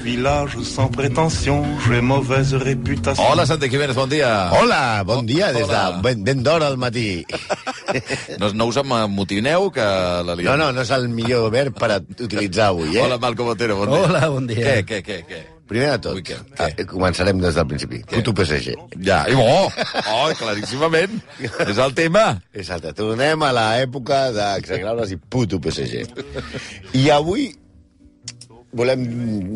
village sans prétention, j'ai mauvaise réputation. Hola, Santi Jiménez, bon dia. Hola, bon dia, des de ben d'hora al matí. No us amotineu, que la liem. No és el millor verb per utilitzar avui, Hola, Malcom Otero, bon dia. Hola, bon dia. Què? Primer de tot, Què? començarem des del principi. Puto PSG. Ja, i claríssimament. És el tema. Exacte, tornem a l'època d'exagraures i puto PSG. I avui volem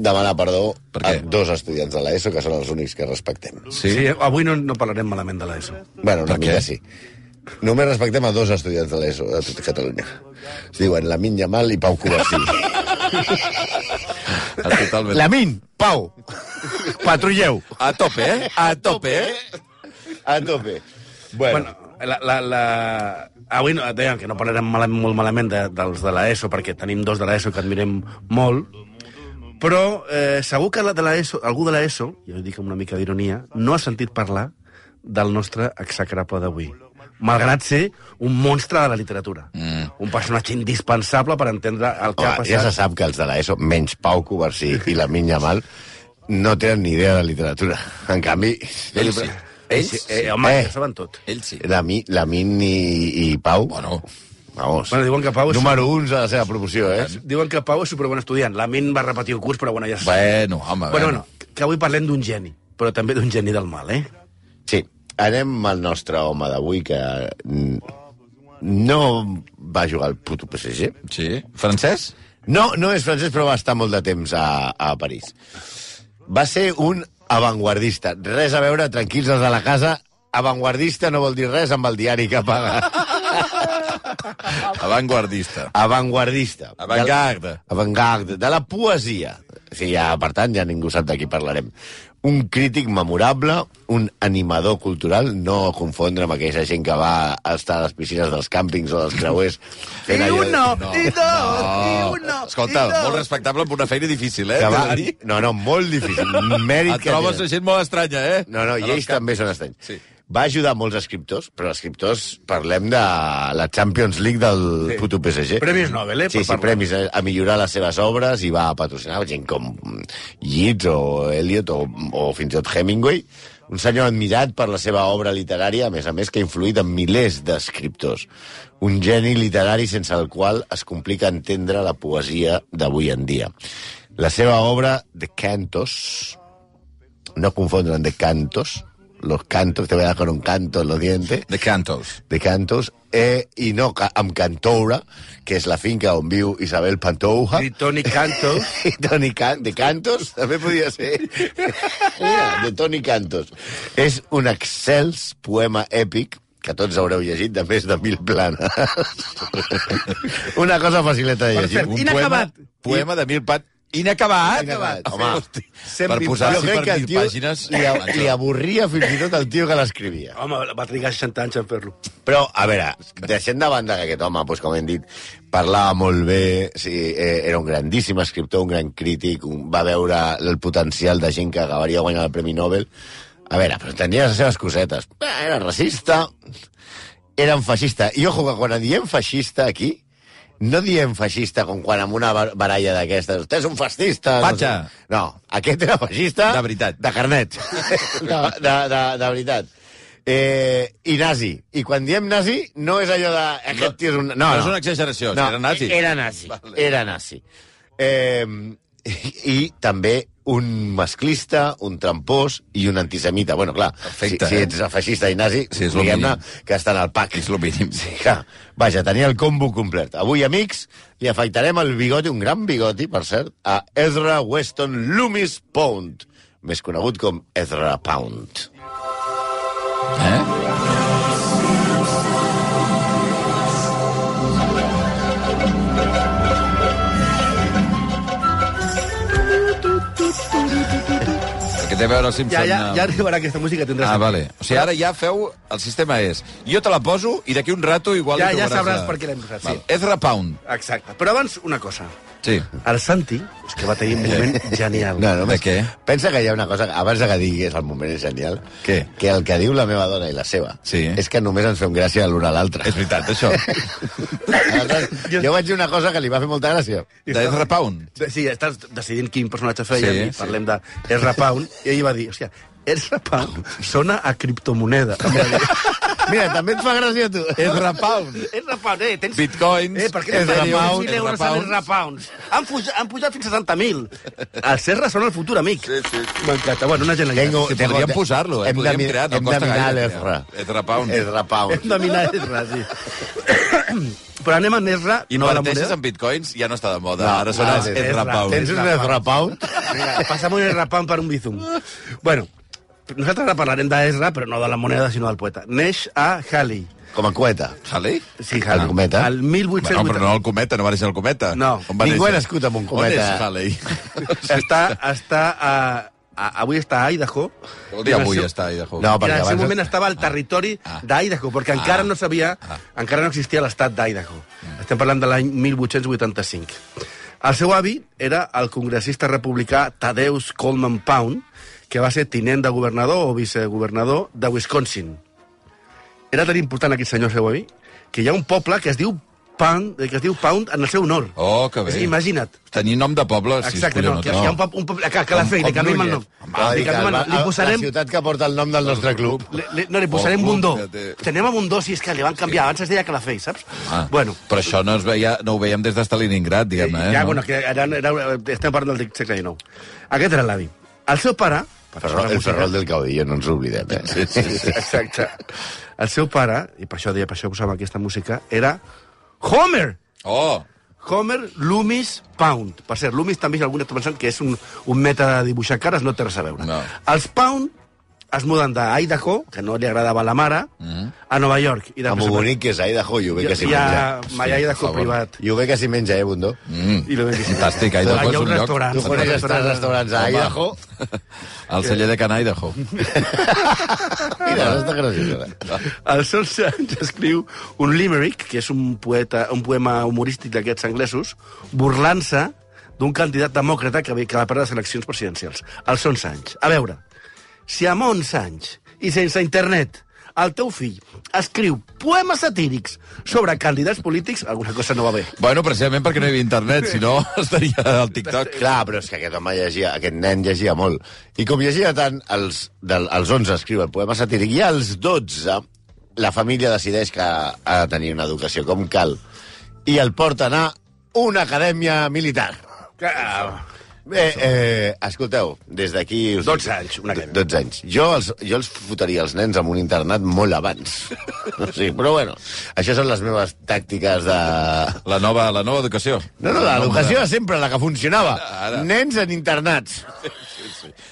demanar perdó a dos estudiants de l'ESO, que són els únics que respectem. Sí, avui no parlarem malament de l'ESO. Bueno, una mica sí. Només respectem a dos estudiants de l'ESO de tota Catalunya. Es diuen Lamine Yamal i Pau Covarsí. Lamine, Pau, patrulleu. A tope, eh? A tope. Bueno, avui dèiem que no parlarem molt malament dels de l'ESO, perquè tenim dos de l'ESO que admirem molt, però segur que algú de l'ESO, jo ho dic amb una mica d'ironia, no ha sentit parlar del nostre execrable d'avui, malgrat ser un monstre de la literatura. Un personatge indispensable per entendre el que ha passat. Ja se sap que els de l'ESO, menys Pau Covarsí i Lamine Yamal, no tenen ni idea de literatura. En canvi... Ells sí. Home, ja saben tot. Ells sí. Lamine i Pau... Bueno, vamos. Diuen que Pau és... Número 1 de la seva promoció, eh? Diuen que Pau és superbon estudiant. Lamine va repetir el curs, però bueno, ja Bueno, home, bueno, que avui parlem d'un geni, però també d'un geni del mal, eh? Sí. Anem al nostre home d'avui, que no va jugar al puto PSG. Sí. Francès? No és francès, però va estar molt de temps a París. Va ser un avantguardista. Res a veure, tranquils els de la casa, avantguardista no vol dir res amb el diari que paga. Avantguardista. Avantgarde. De la poesia. Sí, ja, per tant, ja ningú sap de qui parlarem. Un crític memorable, un animador cultural, no confondre amb aquella gent que va estar a les piscines dels càmpings o dels creuers. I uno. Escolta, molt respectable per una feina difícil, eh? No, molt difícil. Mèrit et trobes gent molt estranya, eh? No, i ells també són estranys. Sí. Va ajudar molts escriptors, però escriptors, parlem de la Champions League del puto PSG. Premis Nobel, eh? Sí, premis a millorar les seves obres i va patrocinar gent com Yeats o Eliot o fins i tot Hemingway. Un senyor admirat per la seva obra literària, a més, que ha influït en milers d'escriptors. Un geni literari sense el qual es complica entendre la poesia d'avui en dia. La seva obra, The Cantos, no confondre amb The Cantos, los cantos, te voy a dar con un canto en los dientes. The Cantos. I no amb Cantoura, que és la finca on viu Isabel Pantoja. I Toni Cantos. De Cantos, també podia ser. Mira, de Toni Cantos. És un excels poema èpic que tots haureu llegit, de més de 1000 planes. Una cosa facileta de llegir. Inacabat. Poema de 1000 planes. Inacabat. Home, per posar-s'hi per 1000 pàgines... Li avorria fins i tot el tio que l'escrivia. Home, va trigar 60 anys en fer-lo. Però, a veure, deixem de banda que aquest home, doncs, com hem dit, parlava molt bé, sí, era un grandíssim escriptor, un gran crític, va veure el potencial de gent que acabaria guanyant el Premi Nobel. A veure, però tenia les seves cosetes. Era racista, era un feixista. I ojo, que quan diem feixista aquí, no diem feixista com quan amb una baralla d'aquestes. Vostè és un fascista. Patxa. No, aquest era feixista... De veritat. De carnet. de veritat. I nazi. I quan diem nazi, no és allò de... Aquest tio és un... No és una exageració, no, era nazi. Era nazi. I també un masclista, un trampós i un antisemita. Bueno, clar, perfecte, si ets feixista i nazi, sí, diguem-ne que estan al pack. És el mínim. Sí, clar. Vaja, tenia el combo complet. Avui, amics, li afaitarem el bigoti, un gran bigoti, per cert, a Ezra Weston Loomis Pound, més conegut com Ezra Pound. Que té a veure el Simpson... Ja arribarà aquesta música, tindràs... Vale. O sigui, ara ja feu... El sistema és... Jo te la poso i d'aquí un rato igual... Ja sabràs per què l'hem posat, sí. Ezra Pound. Exacte. Però abans, una cosa. Sí. El Santi, és que va tenir un moment genial. No, només, De què? Pensa que hi ha una cosa, abans de que diguis el moment és genial, Què? que el que diu la meva dona i la seva Sí. és que només ens fem gràcia l'un a l'altre. És veritat, això. Aleshores, jo vaig dir una cosa que li va fer molta gràcia. D'Ezra Pound. Sí, estàs decidint quin personatge feia Sí, i parlem de Ezra Pound, i ell va dir, hòstia, Ezra Pound sona a criptomoneda. Mira, també et fa gràcia a tu. Ezra Pound. Ezra Pound, tens... Bitcoins, per què Ezra tens Pound, 1.000 euros en Ezra Pounds? Han pujat fins a 60.000. Els Ezra són el futur amic. Sí. M'encanta. Bueno, una genialitat. Sí, podríem posar-lo, Hem de podríem mi- crear, no hem de costa mirar gaire. l'Ezra. Ezra Pound. Ezra Pound. Hem de minar Ezra, sí. Però anem a Ezra, no a la Inverteixes moneda. en bitcoins, ja no està de moda. No, Ara són els Ezra. Ezra Pound. Tens un Ezra Pound? Vinga, passa'm un Ezra Pound per un bizum. Bueno, nosaltres ara parlarem d'Ezra, però no de la moneda, sinó del poeta. Neix a Halley. Com a coeta. Halley? Sí, El cometa? El Bueno, 1880. però no el cometa, no va néixer el cometa. No. On va Ningú néixer? ha nascut amb un cometa. On és Halley? Avui està a Idaho. Vol dir avui està a Idaho. No, I perquè en el seu abans... moment estava al territori d'Idaho, perquè encara no sabia, encara no existia l'estat d'Idaho. Estem parlant de l'any 1885. El seu avi era el congressista republicà Thaddeus Coleman Pound, que va ser tinent de governador o vicegovernador de Wisconsin. Era tan important aquest senyor, el seu avi, que hi ha un poble que es diu Pound en el seu honor. Oh, que bé. Imagina't. Tenir nom de poble, sí, Exacte, no, que hi ha un poble a Calafell, li canviem el nom. Li canviem el nom. Li La posarem... ciutat que porta el nom del nostre club. No, li posarem Oh, Bundó. fíjate. Tenem a Bundó, si és que li van canviar. Abans es deia Calafell, saps? Bueno, Però això no, no ho veiem des de Stalingrad, diguem-ne. ja, no? bueno, que estem parlant del segle XIX. Aquest era l'avi. El seu pare... El Ferrol del Caudillo, no ens oblidem. Sí. Exacte. El seu pare, i per això posàvem aquesta música, era Homer! Oh, Homer Loomis Pound. Per cert, Loomis també, si algú està pensant que és un mètode de dibuixar cares, no té res a veure. No. Els Pound es muden d'Idaho, que no li agradava la mare, a Nova York. I Amb ho bonic que és Idaho, i ho bé que s'hi menja. Hi ha Idaho privat. I ho bé que s'hi menja, Bundó? I lo ben fantàstic, Idaho Hi és ha un un lloc. restaurant. Tu coneixes tres restaurants a Home. Idaho? El celler de Can Idaho. Mira, no està graciós. Als 11 anys escriu un limerick, que és un poema humorístic d'aquests anglesos, burlant-se d'un candidat demòcrata que va perdre les eleccions presidencials. Als 11 anys. A veure, si amb 11 anys i sense internet el teu fill escriu poemes satírics sobre candidats polítics, alguna cosa no va bé. Bueno, precisament perquè no hi havia internet, si no estaria al TikTok. Clar, però és que aquest home llegia, aquest nen llegia molt. I com llegia tant, als 11 escriu el poema satíric, i als 12 la família decideix que ha de tenir una educació com cal i el porten a una acadèmia militar. Bé, escolteu, des d'aquí... 12 anys, una acadèmia. 12 anys. Jo els fotria els nens en un internat molt abans. Sí, però bueno, això són les meves tàctiques de... La nova educació. No, l'educació era sempre la que funcionava. Ara. Nens en internats.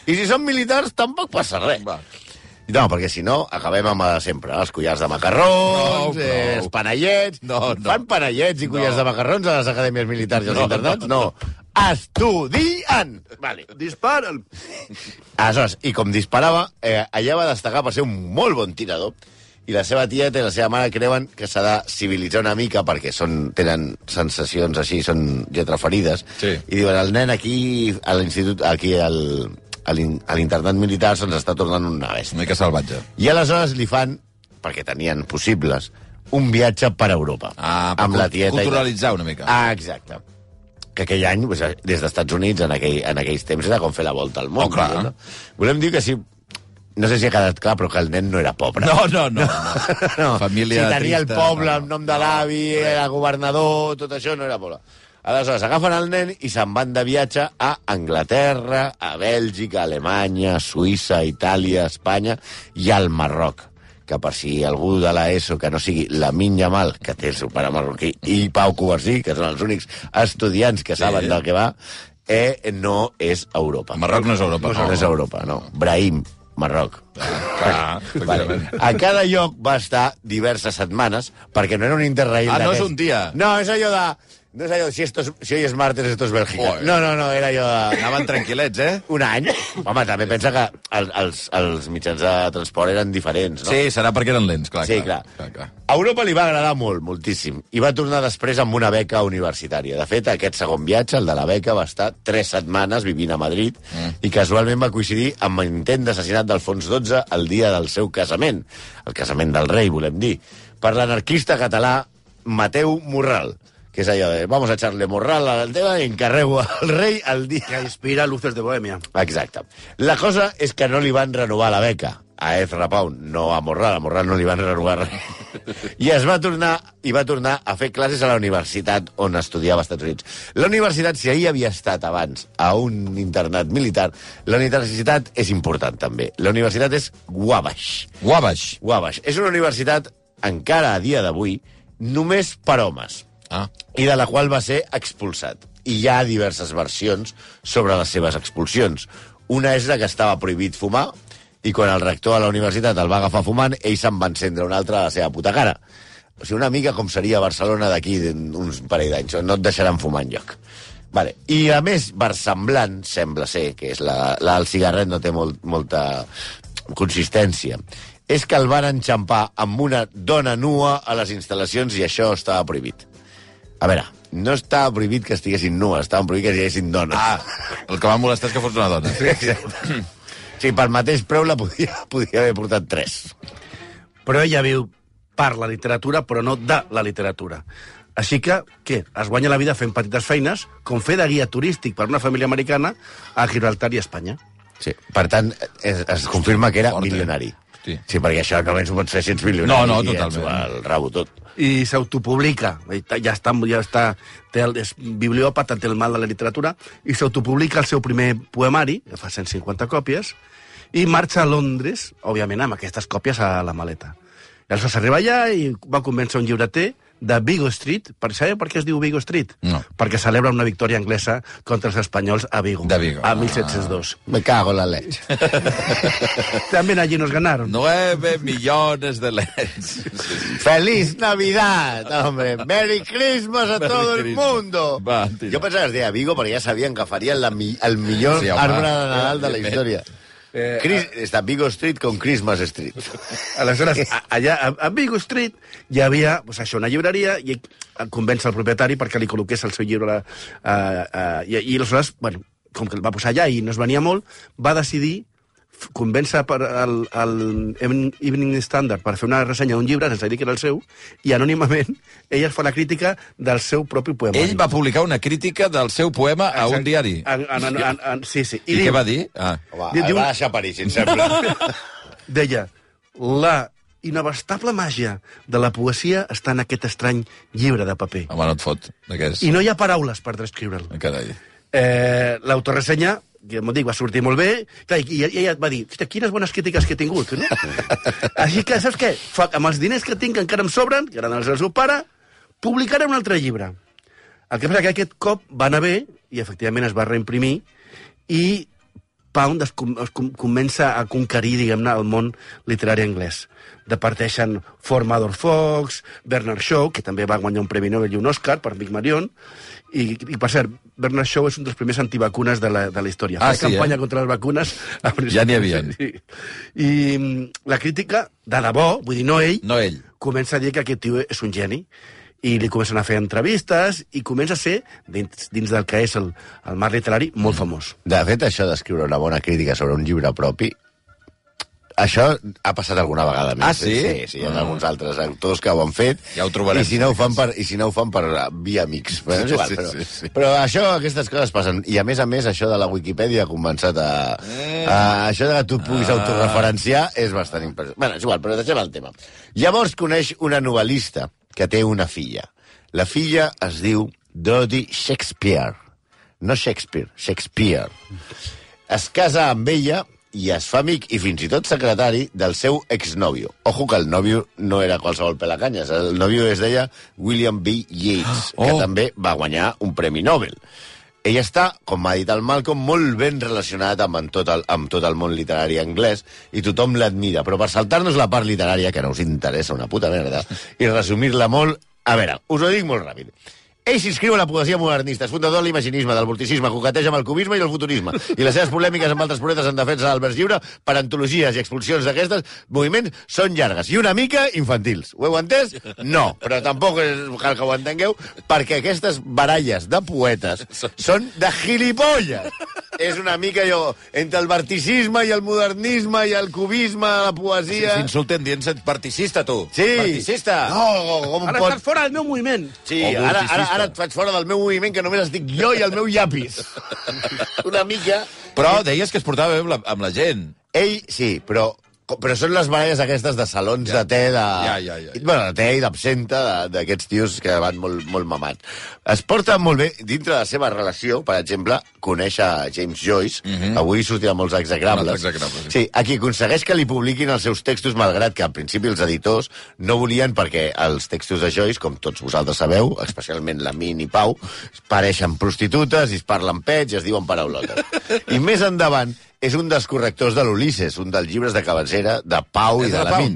I si són militars, tampoc passa res. Va. No, perquè si no, acabem amb sempre. Els collars de macarrons, No, els panellets... No. Fan panellets i collars de macarrons a les acadèmies militars i als internats? No. Estudien! Vale. Disparen! Aleshores, i com disparava, allà va destacar per ser un molt bon tirador, i la seva tieta i la seva mare creuen que s'ha de civilitzar una mica perquè tenen sensacions així, són lletraferides, Sí. i diuen, el nen aquí a l'institut, aquí a l'internat militar se'ns està tornant una bèstia. Una mica salvatge. I aleshores li fan, perquè tenien possibles, un viatge per Europa. Per amb la tieta. culturalitzar una mica. Exacte. Que aquell any, pues, des dels Estats Units, en aquells temps, era com fer la volta al món. Oh, clar. No? Volem dir que sí, no sé si ha quedat clar, però que el nen no era pobre. No. Família si tenia el trista, poble, no. el nom de l'avi, era governador, tot això no era poble. Aleshores, agafen el nen i se'n van de viatge a Anglaterra, a Bèlgica, a Alemanya, Suïssa, Itàlia, Espanya i al Marroc. Que per si algú de l'ESO que no sigui la Yamal, que té el seu pare marroquí, i Pau Covarsí, que són els únics estudiants que saben del que va, no és Europa. Marroc no és Europa. No és Europa, no. Brahim, Marroc. Clar, Vale. A cada lloc va estar diverses setmanes, perquè no era un interrail Ah, no és d'aquests. un dia. No, és allò de... No és allò, si hoy es martes, esto es Bélgica. Joder. No, era allò de... Anaven tranquil·lets, eh? Un any. Home, també pensa que els mitjans de transport eren diferents, no? Sí, serà perquè eren lents, clar. Sí, clar. A Europa li va agradar molt, moltíssim, i va tornar després amb una beca universitària. De fet, aquest segon viatge, el de la beca, va estar 3 setmanes vivint a Madrid i casualment va coincidir amb l'intent d'assassinat d'Alfons XII el dia del seu casament. El casament del rei, volem dir. Per l'anarquista català Mateu Morral, que és allò de, vamos a echarle morral al tema i encarrego al rei el dia... Que inspira Luces de Bohèmia. Exacte. La cosa és que no li van renovar la beca a Ezra Pound, no a Morral no li van renovar res. I va tornar a fer classes a la universitat on estudiava als Estats Units. La universitat, si ahir havia estat abans a un internat militar, la universitat és important també. La universitat és Wabash. Wabash. És una universitat, encara a dia d'avui, només per homes. I de la qual va ser expulsat. I hi ha diverses versions sobre les seves expulsions. Una és la que estava prohibit fumar, i quan el rector a la universitat el va agafar fumant, ell se'n va encendre una altra a la seva puta cara. O sigui, una mica com seria Barcelona d'aquí uns parell d'anys, on no et deixaran fumar enlloc. Vale. I a més, versemblant, sembla ser, que és el cigarret no té molta consistència, és que el van enxampar amb una dona nua a les instal·lacions i això estava prohibit. A veure, no estava prohibit que estiguessin nues, estava prohibit que estiguessin dones. El que va molestar és que fos una dona. Sí, per mateix preu la podia haver portat 3. Però ella viu per la literatura, però no de la literatura. Així que, què? Es guanya la vida fent petites feines, com fer de guia turístic per una família americana a Gibraltar i Espanya. Sí, per tant, es confirma que era milionari. Sí, perquè això que almenys ho pots fer si ets milionari. No, totalment. El rabo tot. I s'autopublica, ja està, és bibliòpata, té el mal de la literatura, i s'autopublica el seu primer poemari, que fa 150 còpies, i marxa a Londres, òbviament, amb aquestes còpies a la maleta. I aleshores arriba allà i va convèncer un llibreter de Vigo Street. Sabeu per què es diu Vigo Street? No. Perquè celebra una victòria anglesa contra els espanyols a Vigo. De Vigo. A 1702. Me cago en la leche. También allí nos ganaron. 9 millones de leds. ¡Feliz Navidad, hombre! ¡Merry Christmas a todo el mundo! Va, jo pensava que es deia Vigo perquè ja sabien que farien el millor arbre de Nadal de la història. Està Vigo Street con Christmas Street. Aleshores, allà a Vigo Street hi havia això, una llibreria i convenç el propietari perquè li col·loqués el seu llibre. I aleshores, bueno, com que el va posar allà i no es venia molt, va decidir convèncer el Evening Standard per fer una ressenya d'un llibre sense dir que era el seu, i anònimament ell es fa la crítica del seu propi poema. Ell va publicar una crítica del seu poema a un diari. Sí. I què va dir? Home, el va deixar París, em sembla. Deia, la inabastable màgia de la poesia està en aquest estrany llibre de paper. Home, no et fot. I no hi ha paraules per descriure'l. Carai. L'autoressenya, que m'ho dic, va sortir molt bé, i ella va dir, quines bones crítiques que he tingut, no? Així que, saps què? Amb els diners que tinc, que encara em sobren, que eren els del seu pare, publicaré un altre llibre. El que passa que aquest cop va anar bé, i efectivament es va reimprimir, i Pound es comença a conquerir, diguem-ne, el món literari anglès. Departeixen Formador Fox, Bernard Shaw, que també va guanyar un Premi Nobel i un Òscar per Pigmalion, i per cert, Bernard Shaw és un dels primers antivacunes de la història. Sí, campanya contra les vacunes. Ja n'hi havia. Sí. I la crítica, de debò, vull dir, no ell, comença a dir que aquest tio és un geni, i li comencen a fer entrevistes, i comença a ser, dins del que és el mar literari, molt famós. De fet, això d'escriure una bona crítica sobre un llibre propi, això ha passat alguna vegada més. Sí? Sí, hi ha alguns altres autors que ho han fet. Ja ho trobarem. I si no ho fan per via amics. Però, és igual, sí. Però aquestes coses passen. I a més, això de la Wikipedia ha començat això de que tu et puguis autorreferenciar és bastant impressionant. Bueno, és igual, però deixem el tema. Llavors coneix una novel·lista que té una filla. La filla es diu Dodie Shakespeare. No Shakespeare, Shakespeare. Es casa amb ella i es fa amic i fins i tot secretari del seu exnòvio. Ojo que el nòvio no era qualsevol pelacanyes. El nòvio es deia William B. Yeats, que també va guanyar un Premi Nobel. Ell està, com m'ha dit el Malcolm, molt ben relacionat amb tot el món literari anglès i tothom l'admira. Però per saltar-nos la part literària, que no us interessa una puta merda, i resumir-la molt... A veure, us ho dic molt ràpid. Ell s'inscriu a la poesia modernista, és fundador de l'imaginisme, del vorticisme, coqueteja amb el cubisme i el futurisme. I les seves polèmiques amb altres poetes en defensa del vers lliure per antologies i expulsions d'aquestes moviments són llargues i una mica infantils. Ho heu entès? No, però tampoc cal que ho entengueu, perquè aquestes baralles de poetes són de gilipolles. És una mica allò, entre el verticisme i el modernisme i el cubisme, la poesia... S'insulten dient set verticista, tu. Sí. Verticista. No, com Ara estàs fora del meu moviment. Sí, ara et faig fora del meu moviment, que només estic jo i el meu llapis. Una mica... Però deies que es portava bé amb la gent. Ell, sí, però són les baralles aquestes de salons de te, Bueno, de te i d'absenta, d'aquests tios que van molt mamats. Es porta molt bé, dintre de la seva relació, per exemple, conèixer James Joyce, avui sortirà molts execrables. Sí, a qui aconsegueix que li publiquin els seus textos, malgrat que al principi els editors no volien, perquè els textos de Joyce, com tots vosaltres sabeu, especialment la Min i Pau, pareixen prostitutes i es parlen pets i es diuen paraulotes. I més endavant, és un dels correctors de l'Ulisses, un dels llibres de cabecera de Pau i de la Min.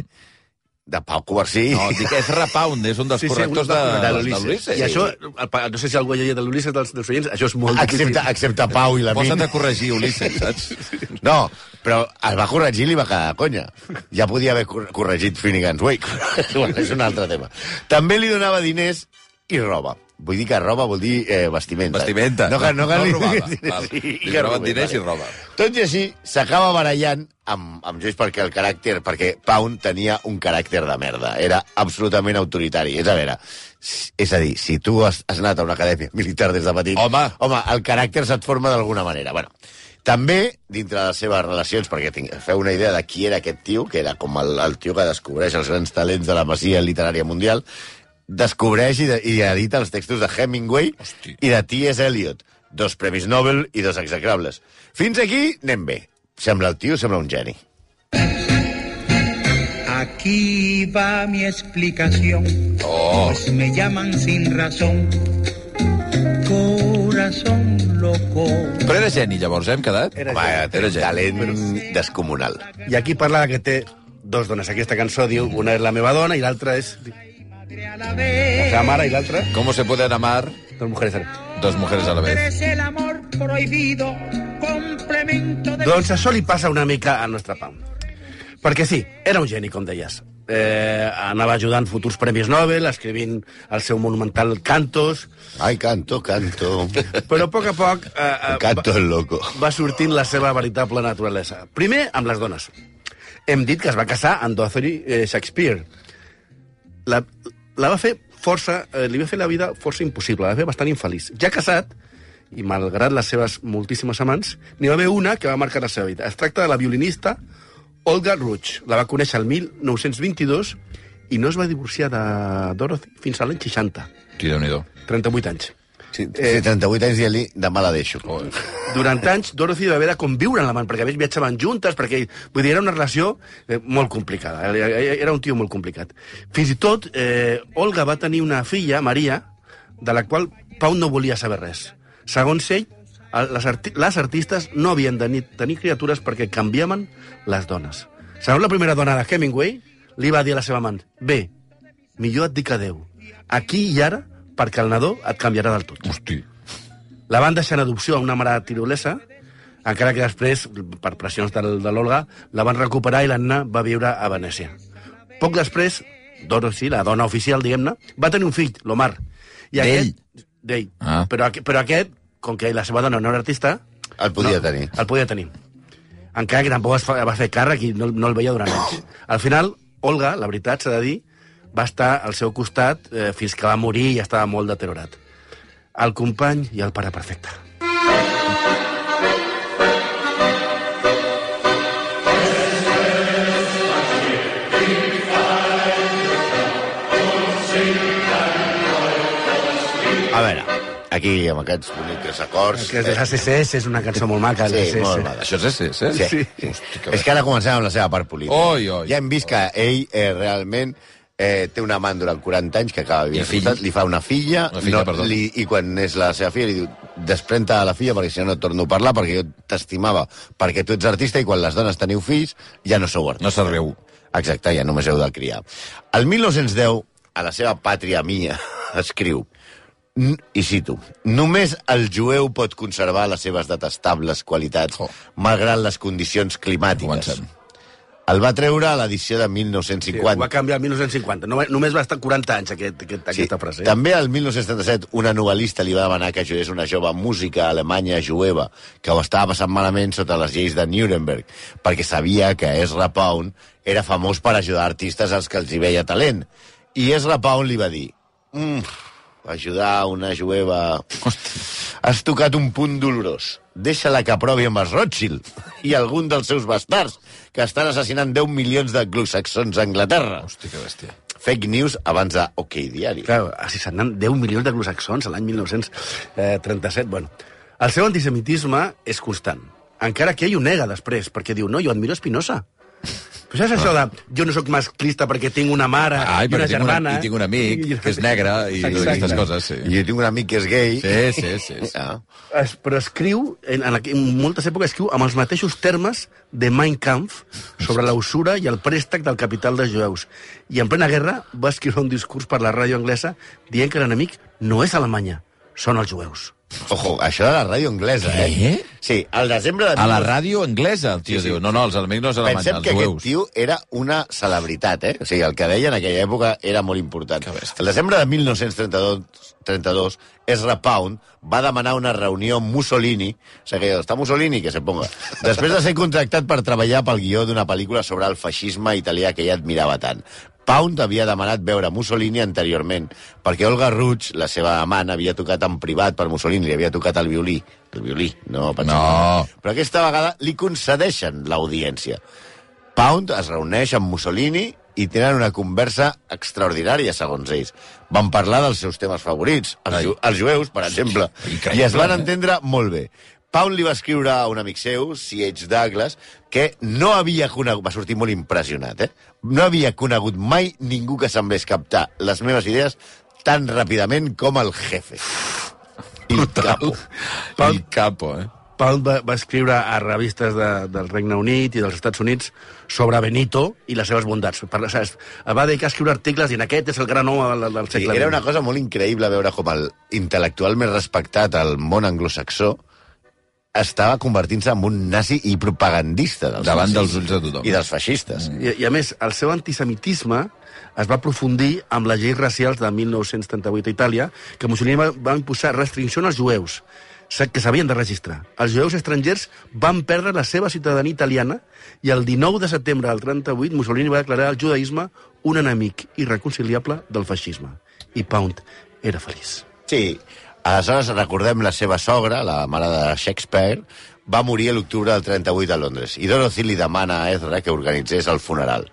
De Pau Covarsí. No, dic, és Repound, és un dels correctors de l'Ulisses. I això, no sé si algú ha llegit de l'Ulisses dels oients, això és molt difícil. Excepte Pau i la Min. Posa't a corregir Ulisses, saps? No, però el va corregir i li va quedar conya. Ja podia haver corregit Finnegan's Wake. Bueno, és un altre tema. També li donava diners i roba. Vull dir que roba vol dir vestimenta. Vestimenta. No robava. Li roben diners i roba. Tot i així, s'acaba barallant amb Joyce perquè Pound tenia un caràcter de merda. Era absolutament autoritari. És a dir, si tu has anat a una acadèmia militar des de petit... Home, el caràcter se't forma d'alguna manera. Bueno, també, dintre de les seves relacions, perquè feu una idea de qui era aquest tio, que era com el tio que descobreix els grans talents de la masia literària mundial, descobreix i edita els textos de Hemingway i de T.S. Eliot. 2 premis Nobel i 2 execrables. Fins aquí anem bé. Sembla el tio, sembla un geni. Aquí va mi explicación. Pues me llaman sin razón. Corazón loco. Però era geni, llavors, hem quedat? Era geni. Talent descomunal. I aquí parla que té 2 dones. Aquesta cançó diu, una és la meva dona i l'altra és... la seva mare i l'altra... ¿Cómo se pueden amar 2 mujeres a la vez? 2 mujeres a la vez. Es el amor prohibido, complemento de... Doncs això li passa una mica al nostre Pau. Perquè sí, era un geni, com deies. Anava ajudant futurs premis Nobel, escrivint el seu monumental Cantos. Ai, canto. Però a poc a poc... Canto el loco. Va sortint la seva veritable naturalesa. Primer, amb les dones. Hem dit que es va casar amb Dorothy Shakespeare. La va fer li va fer la vida força impossible, la va fer bastant infeliç. Ja casat, i malgrat les seves moltíssimes amants, n'hi va haver una que va marcar la seva vida. Es tracta de la violinista Olga Ruch. La va conèixer el 1922 i no es va divorciar de Dorothy fins a l'any 60. Sí, Déu-n'hi-do. 38 anys. Sí, 38 anys dient-li, demà la deixo. Durant anys, Dorothy va haver de conviure amb l'amant, perquè a més viatjaven juntes, perquè, vull dir, era una relació molt complicada. Era un tio molt complicat. Fins i tot, Olga va tenir una filla, Maria, de la qual Pau no volia saber res. Segons ell, les artistes no havien de tenir criatures perquè canviaven les dones. Segons la primera dona de Hemingway, li va dir a la seva amant, bé, millor et dic adeu. Aquí i ara, perquè el nadó et canviarà del tot. Hosti. La van deixar en adopció a una mare tirolesa, encara que després, per pressions de l'Olga, la van recuperar i l'Anna va viure a Venècia. Poc després, Dorothy, la dona oficial, diguem-ne, va tenir un fill, l'Omar. D'ell. Però aquest, com que la seva dona no era artista... El podia tenir. El podia tenir. Encara que tampoc va fer càrrec i no el veia durant anys. Al final, Olga, la veritat, s'ha de dir, va estar al seu costat fins que va morir i estava molt deteriorat. El company i el pare perfecte. A veure, aquí amb aquests bonics acords... Que és ACCS, és una cançó molt maca. Sí, molt maca. Això és ACCS? Sí. És que ara comencem amb la seva part política. Ja hem vist que ell realment té un amant durant 40 anys que acaba vivint. Li fa una filla i quan és la seva filla li diu desprèn-te de la filla perquè si no et torno a parlar perquè jo t'estimava perquè tu ets artista i quan les dones teniu fills ja no sou artistes. No serviu. Exacte, ja només heu de criar. El 1910, a la seva pàtria mia, escriu I cito, només el jueu pot conservar les seves detestables qualitats malgrat les condicions climàtiques. Comencem. El va treure a l'edició de Sí, 1950. ho va canviar el 1950. Només va estar 40 anys aquesta frase. També al 1977 una novel·lista li va demanar que ajudés una jove música alemanya jueva que ho estava passant malament sota les lleis de Nuremberg, perquè sabia que Ezra Pound era famós per ajudar artistes als que els hi veia talent. I Ezra Pound li va dir... ajudar una jueva... Has tocat un punt dolorós. Deixa-la que provi amb els Rothschild i algun dels seus bastards que estan assassinant 10 milions d'anglosaxons a Anglaterra. Hosti, que bèstia. Fake news abans de OK Diari. Clar, assassinant 10 milions d'anglosaxons a l'any 1937. Bueno, el seu antisemitisme és constant. Encara que ell ho nega després, perquè diu, no, jo admiro Spinoza. Però saps això de jo no sóc masclista perquè tinc una mare i una germana... I tinc un amic que és negre i aquestes coses, sí. I jo tinc un amic que és gay. Sí. Ah. Però escriu, en moltes èpoques escriu amb els mateixos termes de Mein Kampf sobre la usura i el préstec del capital dels jueus. I en plena guerra va escriure un discurs per la ràdio anglesa dient que l'enemic no és Alemanya, són els jueus. Ojo, això de la ràdio anglesa, Què? Sí, al desembre de... A la ràdio anglesa, el tio diu. No, els enemics no és Alemanya, Pensem els que jueus. aquest tio era una celebritat, O sigui, el que deia en aquella època era molt important. El desembre de 1932, Ezra Pound va demanar una reunió amb Mussolini, o sigui, està Mussolini, que se ponga, després de ser contractat per treballar pel guió d'una pel·lícula sobre el feixisme italià que ella admirava tant. Pound havia demanat veure Mussolini anteriorment, perquè Olga Ruch, la seva amant, havia tocat en privat per Mussolini, li havia tocat el violí. El violí, no. Però aquesta vegada li concedeixen l'audiència. Pound es reuneix amb Mussolini i tenen una conversa extraordinària, segons ells. Van parlar dels seus temes favorits, els jueus, per exemple, i es van entendre molt bé. Pound li va escriure a un amic seu, C.H. Douglas, que no havia conegut... Va sortir molt impressionat, No havia conegut mai ningú que semblés captar les meves idees tan ràpidament com el jefe. El capo. El capo, Pound va escriure a revistes del Regne Unit i dels Estats Units sobre Benito i les seves bondats. Va dedicar a escriure articles i en aquest és el gran home del segle XX. Era una cosa molt increïble veure com el intel·lectual més respectat al món anglosaxó estava convertint-se en un nazi i propagandista davant dels ulls de tothom. I dels feixistes. I a més, el seu antisemitisme es va aprofundir amb les lleis racials de 1938 a Itàlia, que Mussolini va imposar restriccions als jueus, que s'havien de registrar. Els jueus estrangers van perdre la seva ciutadania italiana i el 19 de setembre del 38 Mussolini va declarar el judaïsme un enemic irreconciliable del feixisme. I Pound era feliç. Sí. Aleshores, recordem la seva sogra, la mare de Shakespeare, va morir a l'octubre del 38 a Londres, i Dorothy li demana a Ezra que organitzés el funeral,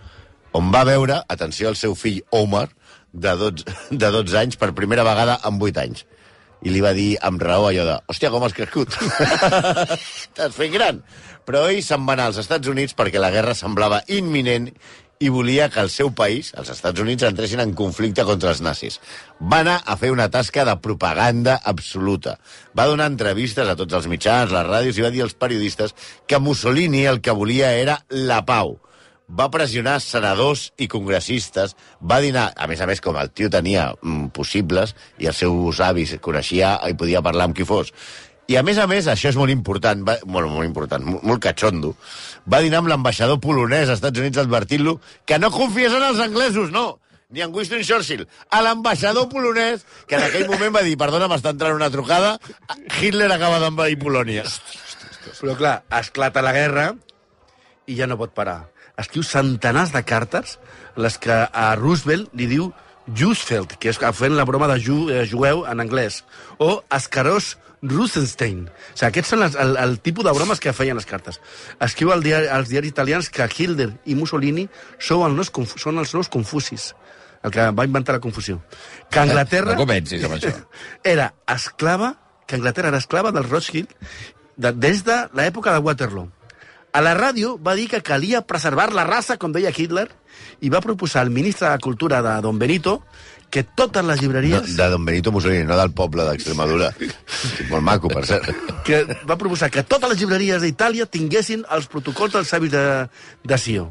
on va veure, atenció, el seu fill Omar, de 12 anys, per primera vegada en 8 anys. I li va dir amb raó allò de «Hòstia, com has crescut? T'has fet gran!» Però ell se'n va anar als Estats Units perquè la guerra semblava imminent i volia que el seu país, els Estats Units, entressin en conflicte contra els nazis. Va anar a fer una tasca de propaganda absoluta. Va donar entrevistes a tots els mitjans, les ràdios, i va dir als periodistes que Mussolini el que volia era la pau. Va pressionar senadors i congressistes, va dinar, a més, com el tio tenia possibles, i els seus avis coneixia i podia parlar amb qui fos. I, a més, això és molt important, molt catxondo, va dinar amb l'ambaixador polonès als Estats Units advertint-lo que no confiés en els anglesos, no, ni en Winston Churchill. A l'ambaixador polonès, que en aquell moment va dir, perdona, m'està entrant una trucada, Hitler acaba d'envair Polònia. Però, clar, esclata la guerra i ja no pot parar. Escriu centenars de cartes en les que a Roosevelt li diu Jewsfeld, que és fent la broma de jueu en anglès, o Ascaros Rosenstein. O sigui, aquests són el tipus de bromes que feien les cartes. Escriu als diaris italians que Hitler i Mussolini són els nous Confucis, el que va inventar la confusió. Que Anglaterra... No comencis amb això. Que Anglaterra era esclava del Rothschild des de l'època de Waterloo. A la ràdio va dir que calia preservar la raça, com deia Hitler, i va proposar al ministre de Cultura de Don Benito que totes les llibreries... De Don Benito Mussolini, no del poble d'Extremadura. Molt maco, per cert. Que va proposar que totes les llibreries d'Itàlia tinguessin els protocols dels savis de Sió.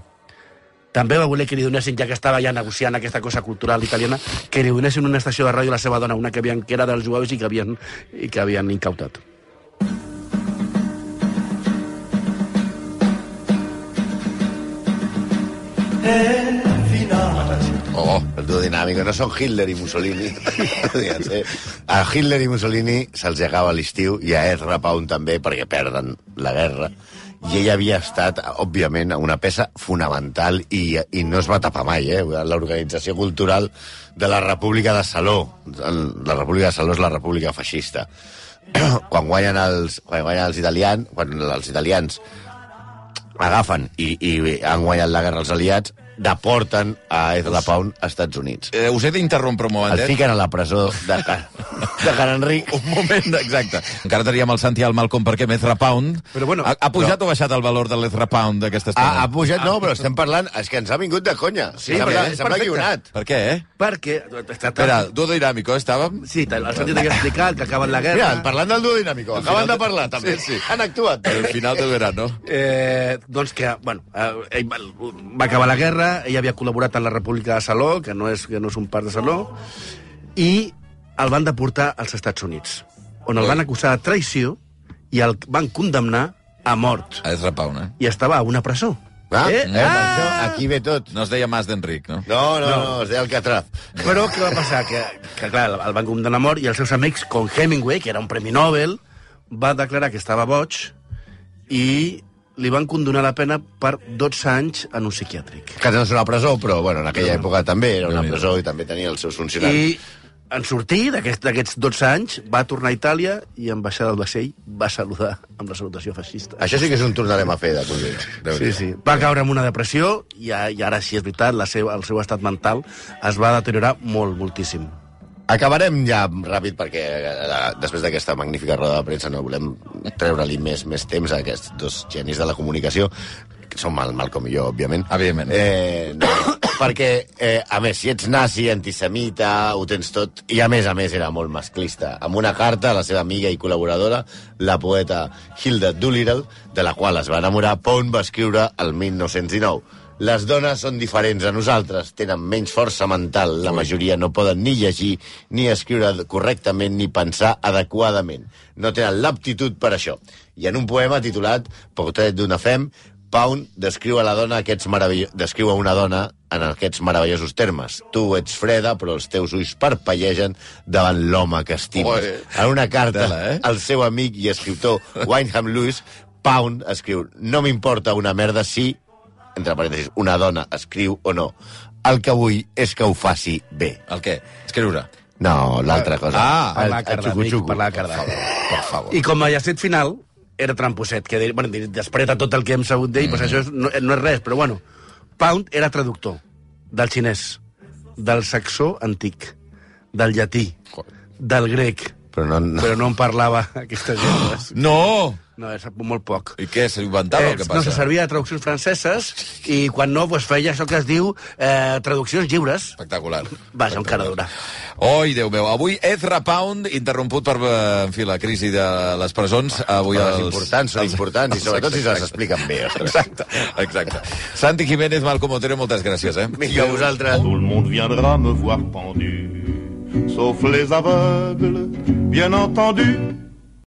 també va voler que li donessin, ja que estava ja negociant aquesta cosa cultural italiana, que li donessin una estació de ràdio a la seva dona, una que era dels jueus i que havien incautat. El duo dinàmic. No són Hitler i Mussolini. A Hitler i Mussolini se'ls acaba l'estiu i a Ezra Pound també, perquè perden la guerra. I ell havia estat, òbviament, una peça fonamental i no es va tapar mai, l'organització cultural de la República de Saló. La República de Saló és la República feixista. Quan guanyen els italians, quan els italians agafen i han guanyat la guerra als aliats, deporten a Ezra Pound als Estats Units. Us he d'interrompre un momentet. El fiquen a la presó de Can Enric. Un moment, exacte. Encara teníem el Santi i el Malcolm perquè Ezra Pound... Però bueno, ha pujat o baixat el valor de l'Ezra Pound d'aquesta estona? Ha pujat, no, però estem parlant... És que ens ha vingut de conya. Sí, sembla guionat. Per què, Perquè... Espera, duo dinàmico, estàvem? Sí, el Santi t'havia explicat que acaben la guerra... Mira, parlant del duo dinàmico, acaben de parlar, també. Sí. Han actuat. El final de verano. Doncs que, bueno, ell va acabar la guerra, ell havia col·laborat en la República de Saló, que no és un part de Saló, i el van deportar als Estats Units, on el van acusar de traïció i el van condemnar a mort. A Ezra Pound, I estava a una presó. Això, aquí ve tot. No es deia Mas d'Enric, no? No, es deia Alcatraz. Però què va passar? Que clar, el van condemnar a mort i els seus amics, com Hemingway, que era un premi Nobel, va declarar que estava boig i li van condonar la pena per 12 anys en un psiquiàtric. Que no és una presó, però bueno, en aquella època també era una presó i també tenia els seus funcionaris. I en sortir d'aquests 12 anys va tornar a Itàlia i en baixar del vaixell va saludar amb la salutació feixista. Això sí que és un tornarem a fer de cosins. Sí. Va caure en una depressió i ara sí, és veritat, el seu estat mental es va deteriorar moltíssim. Acabarem ja ràpid perquè després d'aquesta magnífica roda de premsa no volem treure-li més temps a aquests dos genis de la comunicació, que són Malcolm i jo, òbviament. Evidentment. Perquè, a més, si ets nazi, antisemita, ho tens tot, i a més era molt masclista. Amb una carta a la seva amiga i col·laboradora, la poeta Hilda Doolittle, de la qual es va enamorar, Pound va escriure el 1919. Les dones són diferents a nosaltres, tenen menys força mental, la majoria no poden ni llegir, ni escriure correctament, ni pensar adequadament. No tenen l'aptitud per això. I en un poema titulat Portrait d'una femme, Pound descriu a una dona en aquests meravellosos termes. Tu ets freda, però els teus ulls parpellegen davant l'home que estimes. En una carta al seu amic i escriptor Wyndham Lewis, Pound escriu: no m'importa una merda si, entre parèntesis, una dona escriu o no. El que vull és que ho faci bé. El què? Escriure? No, l'altra cosa. Parlar cardàmic. Per favor. I com a llacet final, era tramposet, que després de tot el que hem sabut d'ell, doncs això no és res, però bueno, Pound era traductor del xinès, del saxó antic, del llatí, del grec, però no en parlava aquestes llengües. No! No, és molt poc. I què, se inventava el que passa? No, se servia de traduccions franceses i quan no, doncs feia això que es diu traduccions lliures. Espectacular. Vaja, un cara dura. Oi, Déu meu. Avui Ezra Pound, interromput per, en fi, la crisi de les presons. Avui els importants són importants i sobretot si se les expliquen bé. Exacte. Santi Jiménez, Malcom Otero, moltes gràcies. Vinga, a vosaltres. Tout le monde viendra me voir pendu, sauf les aveugles, bien entendu.